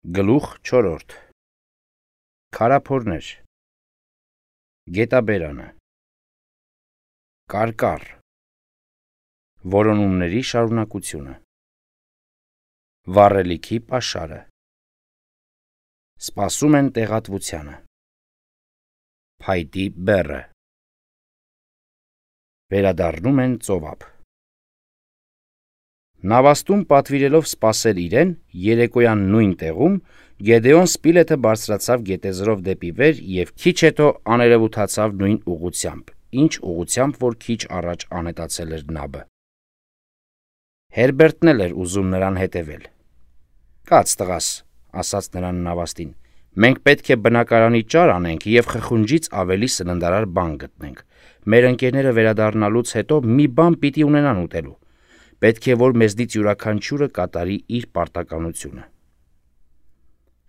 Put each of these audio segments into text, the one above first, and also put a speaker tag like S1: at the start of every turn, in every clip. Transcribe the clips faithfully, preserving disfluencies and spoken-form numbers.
S1: Գլուխ չորրորդ Քարափորներ Գետաբերանը Կարկառ Որոնումների շարունակությունը Վառելիքի պաշարը Սպասում են տեղատվությանը Փայտի բեռը Վերադառնում են ծովափ Նավաստում պատվիրելով սպասել իրեն, երեկոյան նույն տեղում Գեդեոն Սպիլեթը բարձրացավ գետեզրով դեպի վեր և քիչ հետո աներևութացավ նույն ուղղությամբ, ինչ ուղղությամբ, որ քիչ առաջ անհետացել էր նաբը։ Հերբերտն էլ էր ուզում նրան հետևել։ «Կաց տղաս», ասաց նրան նավաստին, «մենք պետք է բնակարանի ճար անենք և խխունջից ավելի սննդարար բան գտնենք։ Մեր ընկերները վերադառնալուց հետո մի բան պիտի ունենան ուտելու։ Պետք է, որ մեզնից յուրաքանչյուրը կատարի իր պարտականությունը»։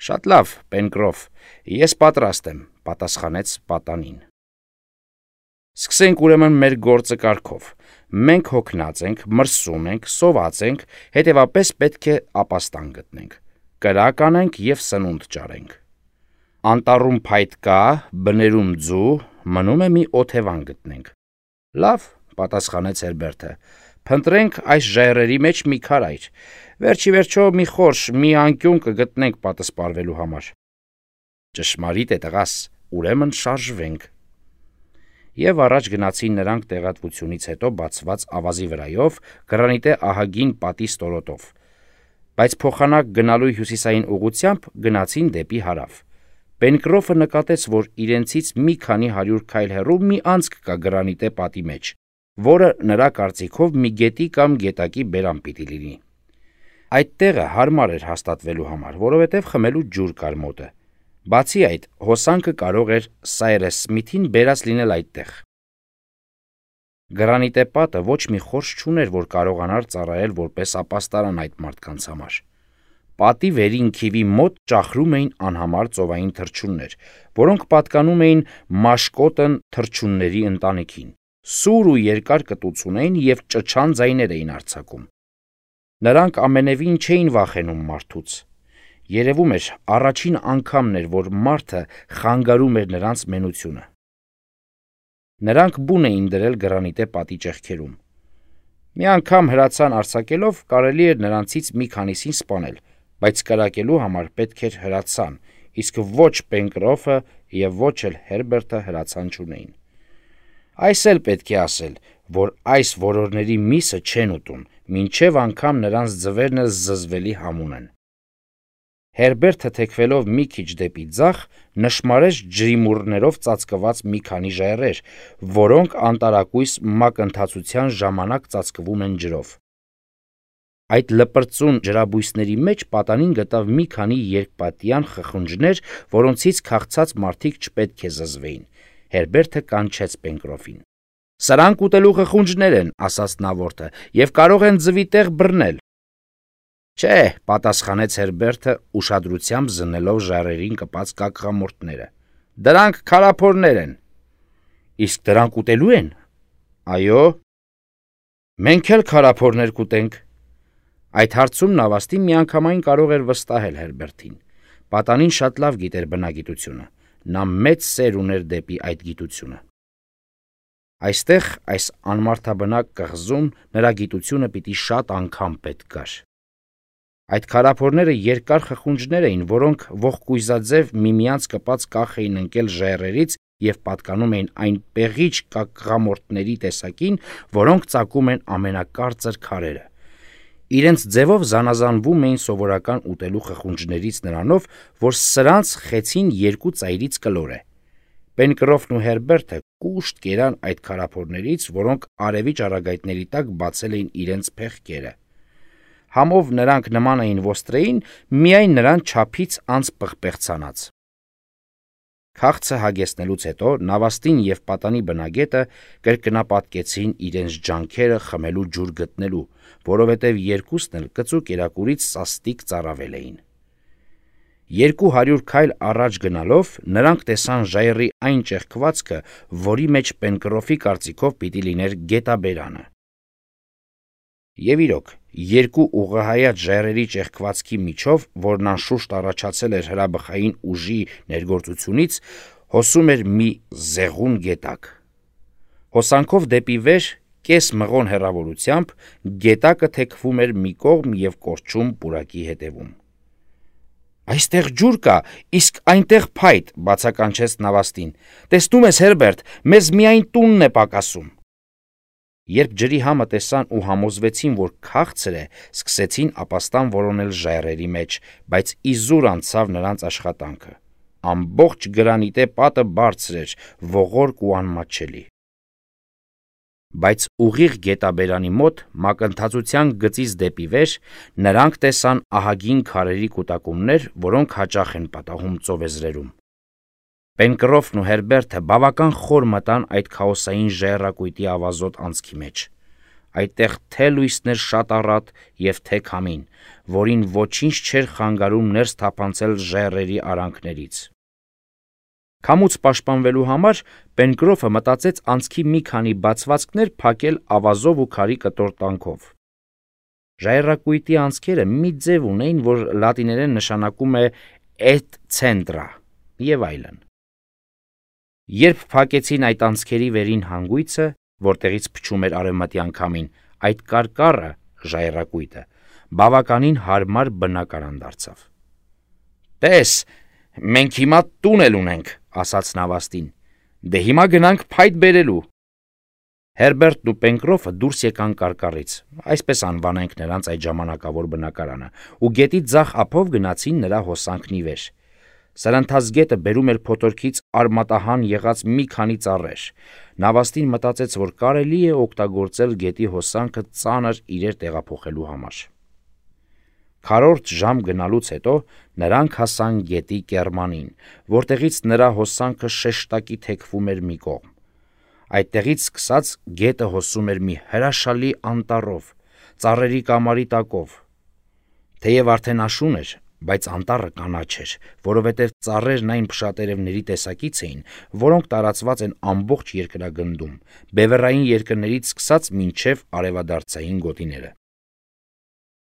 S1: «Շատ լավ, Պենկրոֆ, ես պատրաստ եմ», պատասխանեց պատանին։ «Սկսենք ուրեմն մեր գործը կարգով։ Մենք հոգնած ենք, մրսում ենք, սոված ենք, հետևապես պետք է ապաստան գտնենք, կրակ անենք և սնունդ ճարենք։ Անտառում փայտ կա, բներում ձու, մնում է մի օթևան գտնենք»։ «Լավ», պատասխանեց Հերբերտը, «փնտրենք այս ժայռերի մեջ մի քարայր, վերջ ի վերջո մի խորշ, մի անկյուն կգտնենք պատսպարվելու համար»։ «Ճշմարիտ է, տղաս, ուրեմն շարժվենք»։ Եվ առաջ գնացին նրանք տեղատվությունից հետո բացված ավազի վրայով, գրանիտե ահագին պատի ստորոտով, բայց փոխանակ գնալու հյուսիսային ուղղությամբ գնացին դեպի հարավ։ Պենկրոֆը նկատեց, որ իրենցից մի քանի հարյուր քայլ հեռու մի անցք կա գրանիտե պատի մեջ, որը նրա կարծիքով մի գետի կամ գետակի բերան պիտի լինի։ Այդ տեղը հարմար էր հաստատվելու համար, որովհետև խմելու ջուր կար մոտը։ Բացի այդ, հոսանքը կարող էր Սայրես Սմիթին բերած լինել այդտեղ։ Գրանիտե պատը ոչ մի խորշ չուներ, որ կարողանար ծառայել որպես ապաստարան այդ մարդկանց համար։ Պատի վերին քիվի մոտ ճախրում էին անհամար ծովային թռչուններ, որոնք պատկանում էին մաշկոտն թռչունների ընտանիքին, սուր ու երկար կտուց ունեին և ճչան ձայներ էին արձակում։ Նրանք ամենևին չէին վախենում մարդուց։ Երևում էր, առաջին անգամն էր, որ մարդը խանգարում էր նրանց մենությունը։ Նրանք բուն էին դրել գրանիտե պատի ճեղքերում։ Մի անգամ հրացան արձակելով կարելի էր նրանցից մի քանիսին սպանել, բայց կրակելու համար պետք էր հրացան, իսկ ոչ Պենկրոֆը և ոչ էլ Հերբերտը հրացան չունեին։ Այս էլ պետք է ասել, որ այս որորների միսը չեն ուտում, մինչև անգամ նրանց ձվերն էլ զզվելի համուն են։ Հերբերտը թեքվելով մի քիչ դեպի ձախ, նշմարեց ջրիմուռներով ծածկված մի քանի ժայռեր, որոնք անտարակույս մակընթացության ժամանակ ծածկվում են ջրով։ Այդ լպրծուն ջրաբույսների մեջ պատանին գտավ մի քանի երկպատյան խխունջներ, որոնցից քաղցած մարդիկ չպետք է զզվեին։ Հերբերտը կանչեց Պենկրոֆին։ «Սրանք ուտելու խխունջներ են», ասաց նավորդը, «և կարող են ձվի տեղ բռնել»։ «Չէ», պատասխանեց Հերբերտը, ուշադրությամբ զննելով ժայռերին կպած կակղամորթները, «դրանք քարափորներ են»։ «Իսկ դրանք ուտելու են»։ «Այո»։ «Մենք էլ քարափորներ կուտենք»։ Այդ հարցում նավաստին միանգամայն կարող էր վստահել Հերբերտին։ Պատանին շատ լավ գիտեր բնագիտությունը։ Նա մեծ սեր ուներ դեպի այդ գիտությունը։ Այստեղ, այս անմարդաբնակ կղզում, նրա գիտությունը պիտի շատ անգամ պետք գար։ Այդ քարափորները երկար խխունջներ էին, որոնք ողկույզաձև միմյանց կպած կախ էին ընկել ժայռերից և պատկանում էին այն պեղիչ կակղամորթների տեսակին, որոնք ծակում են ամենակարծր քարերը։ Իրենց ձևով զանազանվում էին սովորական ուտելու խխունջներից նրանով, որ սրանց խեցին երկու ծայրից կլոր է։ Պենկրոֆն ու Հերբերտը կուշտ կերան այդ քարափորներից, որոնք արևի ճառագայթների տակ բացել էին իրենց փեղկերը։ Համով նրանք նման էին ոստրեին, միայն նրան չափից անցպղպեղցանած։ Քաղցը հագեցնելուց հետո նավաստին և պատանի բնագետը կրկնապատկեցին իրենց ջանքերը խմելու ջուր գտնելու, որովհետև երկուսն էլ կծու կերակուրից սաստիկ ծարավել էին։ Երկու հարյուր քայլ առաջ գնալով նրանք տեսան ժայռի այն ճեղքվածքը, որի մեջ Պենկրոֆի կարծիքով պիտի լիներ գետաբերանը։ Եվ իրոք, երկու ուղղահայաց ժայռերի ճեղքվածքի միջով, որն անշուշտ առաջացել էր հրաբխային ուժի ներգործությունից, հոսում էր մի զեղուն գետակ։ Հոսանքով դեպի վեր, կես մղոն հեռավորությամբ, գետակը թեքվում էր մի կողմ և կորչում պուրակի հետևում։ «Այստեղ ջուր կա, իսկ այնտեղ փայտ», բացականչեց Նավաստին։ «Տեսնում ես, Հերբերտ, մեզ միայն տունն է պակասում»։ Երբ ջրի համը տեսան ու համոզվեցին, որ քաղցր է, սկսեցին ապաստան որոնել ժայռերի մեջ, բայց իզուր անցավ նրանց աշխատանքը։ Ամբողջ գրանիտե պատը բարձր էր, ողորկ ու անմատչելի։ Բայց ուղիղ գետաբերանի մոտ, մակընթացության գծից դեպի վեր, նրանք տեսան ահագին քարերի կուտակումներ, որոնք հաճախ են պատահում ծովեզրերում։ Պենկրոֆն ու Հերբերտը բավական խոր մտան այդ քաոսային ժայռակույտի ավազոտ անցքի մեջ։ Այդտեղ թե լույսներ շատ առատ և թե քամին, որին ոչինչ չէր խանգարում ներս թափանցել ժայռերի արանքներից։ Քամուց պաշտպանվելու համար Պենկրոֆը մտածեց անցքի մի քանի բացվածքներ փակել ավազով ու քարի կտոր տանքով։ Ժայռակույտի անցքերը մի ձև ունեին, որ լատիներեն նշանակում է «et centra» և այլն։ Երբ փակեցին այդ անցքերի վերին հանգույցը, որտեղից փչում էր արևմտյան քամին, այդ կարկառը ժայռակույտը բավականին հարմար բնակարան դարձավ։ «Տես, մենք հիմա տուն էլ ունենք», ասաց Նավաստին։ «Դե հիմա գնանք փայտ բերելու»։ Հերբերտն ու Պենկրոֆը դուրս եկան կարկառից, այսպես անվանենք նրանց այդ ժամանակավոր բնակարանը, ու գետի ձախ ափով գնացին նրա հոսանքն ի վեր։ Սրընթաց գետը բերում էր փոթորկից արմատահան եղած մի քանի ծառեր։ Նավաստին մտածեց, որ կարելի է օգտագործել գետի հոսանքը ծանր իրեր տեղափոխելու համար։ Քառորդ ժամ գնալուց հետո նրանք հասան գետի կեռմանին, որտեղից նրա հոսանքը շեշտակի թեքվում էր մի կողմ։ Այդտեղից սկսած գետը հոսում էր մի հրաշալի անտառով, ծառերի կամարի տակով։ Թեև արդեն աշուն էր, բայց անտառը կանաչ էր, որովհետև ծառերն այն փշատերևների տեսակից էին, որոնք տարածված են ամբողջ երկրագնդում, բևեռային երկրներից սկսած մինչև արևադարձային գոտիները։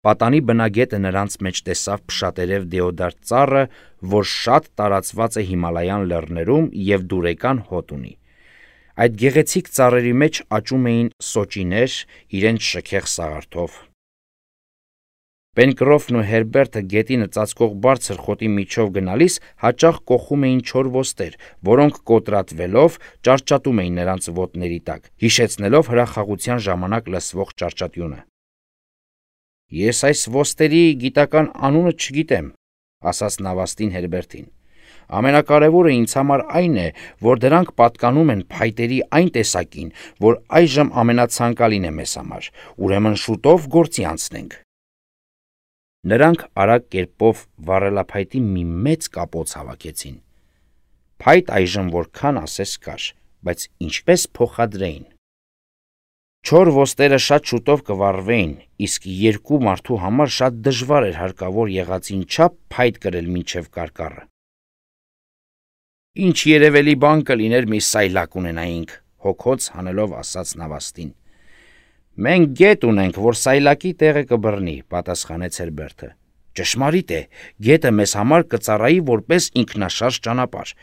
S1: Պատանի բնագետը նրանց մեջ տեսավ փշատերև դեոդար ծառը, որ շատ տարածված է Հիմալայան լեռներում և դուրեկան հոտ ունի։ Այդ գեղեցիկ ծառերի մեջ աճում էին սոճիներ իրենց շքեղ սաղարթով։ Պենկրոֆն ու Հերբերտը գետինը ծածկող բարձր խոտի միջով գնալիս հաճախ կոխում էին չոր ոստեր, որոնք կոտրատվելով ճարճատում էին նրանց ոտների տակ, հիշեցնելով հրախաղության ժամանակ լսվող ճարճատյունը։ «Ես այս ոստերի գիտական անունը չգիտեմ», ասաց Նավաստին Հերբերտին։ «Ամենակարևորը ինձ համար այն է, որ դրանք պատկանում են փայտերի այն տեսակին, որ այժմ ամենացանկալին է մեզ համար, ուրեմն շուտով գործի անցնենք»։ Նրանք արագ կերպով վառելափայտի մի մեծ կապոց հավաքեցին։ Փայտ այժմ որքան ասես կար, բայց ինչպես փոխադրեին։ Չոր ոստերը շատ շուտով կվառվեին, իսկ երկու մարդու համար շատ դժվար էր հարկավոր եղածին չափ փայտ կրել մինչև կարկառը։ «Ինչ երևելի բան կլիներ մի սայլակ ունենայինք», հոգոց հանելով ասաց Նավաստին։ «Մենք գետ ունենք, որ սայլակի տեղը կբռնի», պատասխանեց Հերբերտը։ «Ճշմարիտ է, գետը մեզ համար կծառայի որպես ինքնաշարժ ճանապարհ։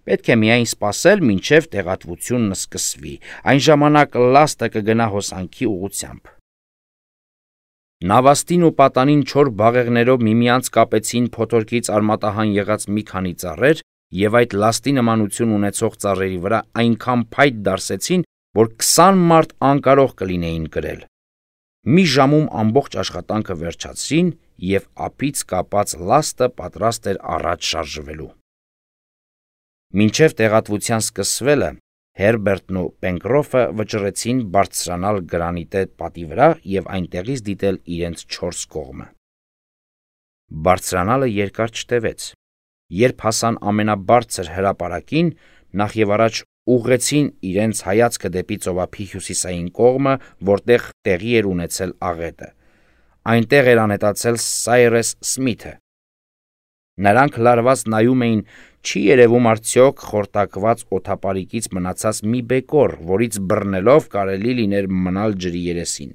S1: Պետք է միայն սպասել, մինչև տեղատվությունն սկսվի, այն ժամանակ լաստը կգնա հոսանքի ուղղությամբ»։ Նավաստին ու պատանին չոր բաղեղներով միմյանց կապեցին փոթորկից արմատահան եղած մի քանի ծառեր և այդ լաստի նմանություն ունեցող ծառերի վրա այնքան փայտ դարսեցին, որ քսան մարդ անկարող կլինեին կրել։ Մի ժամում ամբողջ աշխատանքը վերջացրին, և ափից կապած լաստը պատրաստ էր առաջ շարժվելու։ Մինչև տեղատվության սկսվելը Հերբերտն ու Պենկրոֆը վճռեցին բարձրանալ գրանիտե պատի վրա և այնտեղից դիտել իրենց չորս կողմը։ Բարձրանալը երկար չտևեց։ Երբ հասան ամենաբարձր հրապարակին, նախևառաջ ուղղեցին իրենց հայացքը դեպի ծովափի հյուսիսային կողմը, որտեղ տեղի էր ունեցել աղետը։ Այնտեղ էր անհետացել Սայրես Սմիթը։ Նրանք լարված նայում էին, չի երևում արդյոք խորտակված օդապարիկից մնացած մի բեկոր, որից բռնելով կարելի լիներ մնալ ջրի երեսին։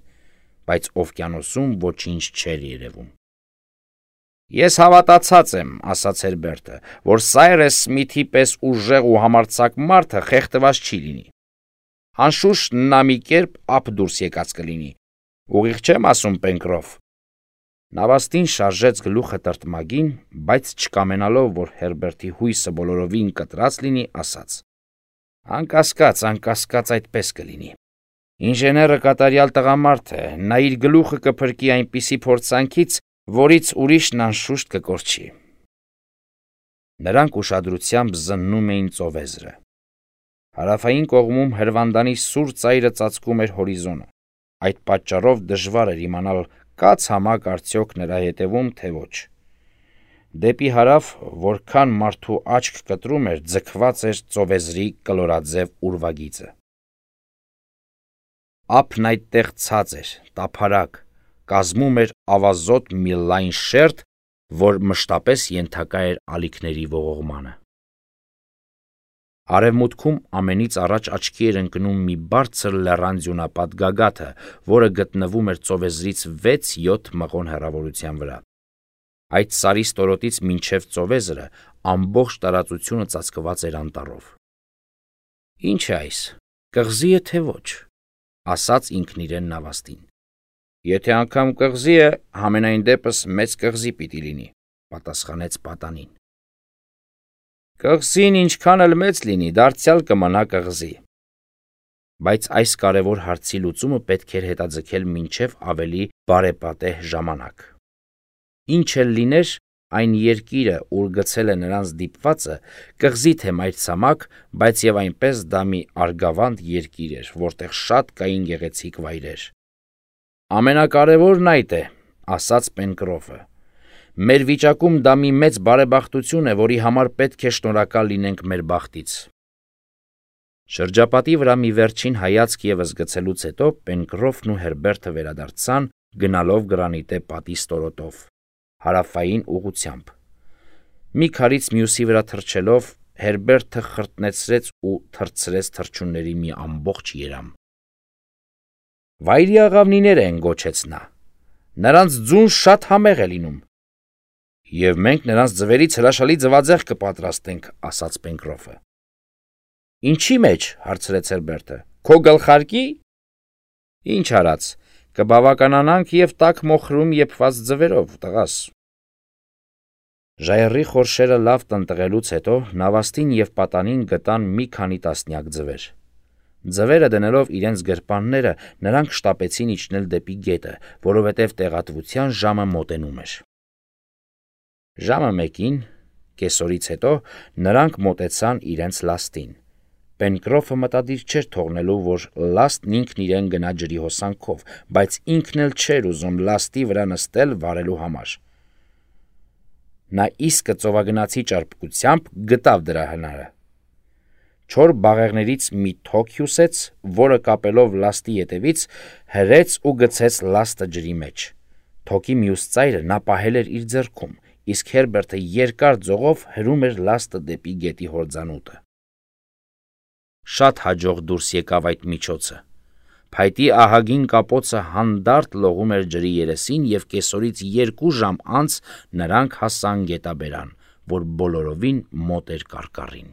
S1: բայց օվկիանոսում ոչինչ չէր երևում։ «Ես հավատացած եմ», ասաց Հերբերտը, «որ Սայրես Սմիթի պես ուժեղ ու համարձակ մարդը խեղդված չի լինի։ Անշուշտ նա մի կերպ ափ դուրս եկած կլինի։ Ուղիղ չեմ ասում, Պենկրոֆ»։ Նավաստին շարժեց գլուխը տրտմագին, բայց չկամենալով, որ Հերբերտի հույսը բոլորովին կտրած լինի, ասաց. «Անկասկած, անկասկած այդպես կլինի։ Ինժեները կատարյալ տղամարդ է, նա իր գլուխը կփրկի այնպիսի փորձանքից, որից ուրիշն անշուշտ կկորչի»։ Նրանք ուշադրությամբ զննում էին ծովեզրը։ Հարավային կողմում հրվանդանի սուր ծայրը ծածկում էր հորիզոնը։ Այդ պատճառով դժվար էր իմանալ, կա ցամաք արդյոք նրա ետևում, թե ոչ։ Դեպի հարավ, որքան մարդու աչք կտրում էր, ձգված էր ծովեզրի կլորաձև ուրվագիծը։ Ափն այդտեղ ցած էր, տափարակ, կազմում էր ավազոտ մի լայն շերտ, որ մշտապես ենթակա էր ալիքների ողողմանը։ Արևմուտքում ամենից առաջ աչքի էր ընկնում մի բարձր լեռան ձյունապատ գագաթը, որը գտնվում էր ծովեզրից վեց-յոթ մղոն հեռավորության վրա։ Այդ սարի ստորոտից մինչև ծովեզրը ամբողջ տարածությունը ծածկված էր անտառով։ «Ինչ է այս, կղզի է թե ոչ», ասաց ինքն իրեն նավաստին։ «Եթե անգամ կղզի է, համենայն դեպս մեծ կղզի պիտի լինի», պատասխանեց պատանին։ «Կղզին ինչքան էլ մեծ լինի, դարձյալ կմնա կղզի»։ Բայց այս կարևոր հարցի լուծումը պետք էր հետաձգել մինչև ավելի բարեպատեհ ժամանակ։ Ինչ էլ լիներ, այն երկիրը, ուր գցել է նրանց դիպվածը, կղզի թե մայրցամաք, բայց եւ այնպես դա մի արգավանդ երկիր էր, որտեղ շատ կային գեղեցիկ վայրեր։ «Ամենակարևորն այդ է», ասաց Պենկրոֆը։ «Մեր վիճակում դա մի մեծ բարեբախտություն է, որի համար պետք է շնորհակալ լինենք մեր բախտից»։ Շրջապատի վրա մի վերջին հայացք ևս գցելուց հետո Պենկրոֆն ու Հերբերտը վերադարձան, գնալով գրանիտե պատի ստորոտով, հարավային ուղղությամբ։ Մի քարից մյուսի վրա թռչելով, Հերբերտը խրտնեցրեց ու թռցրեց թռչունների մի ամբողջ երամ։ «Վայրի աղավնիներ են», գոչեց նա։ «Նրանց ձուն շատ համեղ է լինում»։ «Եվ մենք նրանց ձվերից հրաշալի ձվածեղ կպատրաստենք», ասաց Պենկրոֆը։ «Ինչի մեջ», հարցրեց Հերբերտը, «քո գլխարկի»։ «Ինչ արած, կբավականանանք և տաք մոխրում եփված ձվերով, տղաս»։ Ժայռի խորշերը լավ տնտղելուց հետո նավաստին և պատանին գտան մի քանի տասնյակ ձվեր։ Ձվերը դնելով իրենց գրպանները, նրանք շտապեցին իջնել դեպի գետը, որովհետև տեղատվության ժամը մոտենում էր։ Ժամը մեկին, կեսօրից հետո, նրանք մոտեցան իրենց լաստին։ Պենկրոֆը մտադիր չէր թողնելու, որ լաստն ինքն իրեն գնա ջրի հոսանքով, բայց ինքն էլ չէր ուզում լաստի վրա նստել վարելու համար։ Նա իսկը ծովագնացի ճարպկությամբ գտավ դրա հնարը։ Չոր բաղեղներից մի թոք հյուսեց, որը կապելով լաստի ետևից հրեց ու գցեց լաստը ջրի մեջ։ Թոքի մյուս ծայրը նա պահել էր իր ձեռքում, իսկ Հերբերտը երկար ձողով հրում էր լաստը դեպի գետի հորձանուտը։ Շատ հաջող դուրս եկավ այդ միջոցը։ Փայտի ահագին կապոցը հանդարտ լողում էր ջրի երեսին և կեսօրից երկու ժամ անց նրանք հասան գետաբերան, որ բոլորովին մոտ էր կարկառին։